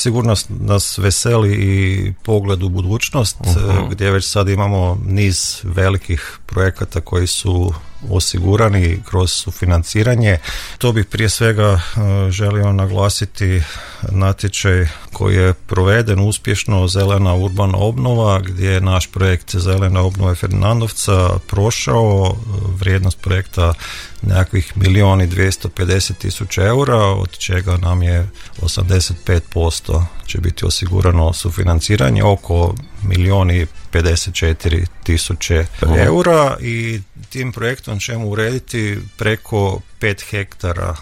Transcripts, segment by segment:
sigurno nas veseli i pogled u budućnost, gdje već sad imamo niz velikih projekata koji su osigurani kroz sufinanciranje. To bih prije svega želio naglasiti natječaj koji je proveden uspješno, zelena urbana obnova, gdje je naš projekt zelene obnove Ferdinandovca prošao, vrijednost projekta nekakvih 1.250.000 eura, od čega nam je 85% će biti osigurano sufinanciranje, oko 1.054.000 eura, i tim projektom ćemo urediti preko 5 hektara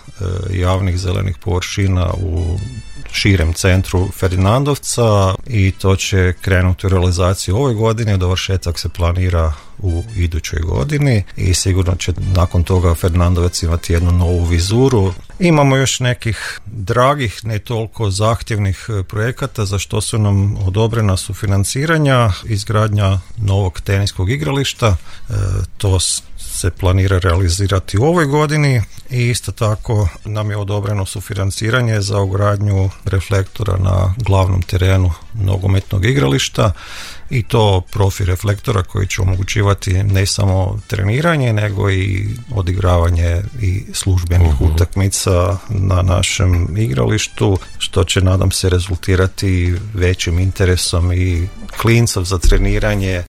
javnih zelenih površina u širem centru Ferdinandovca, i to će krenuti u realizaciju ove godine, dovršetak se planira u idućoj godini i sigurno će nakon toga Ferdinandovac imati jednu novu vizuru. Imamo još nekih dragih, ne toliko zahtjevnih projekata za što su nam odobrena sufinanciranja, izgradnja novog teniskog igrališta, to se planira realizirati u ovoj godini, i isto tako nam je odobreno sufinanciranje za ugradnju reflektora na glavnom terenu nogometnog igrališta, i to profi reflektora koji će omogućivati ne samo treniranje nego i odigravanje i službenih utakmica na našem igralištu, što će, nadam se, rezultirati većim interesom i klincov za treniranje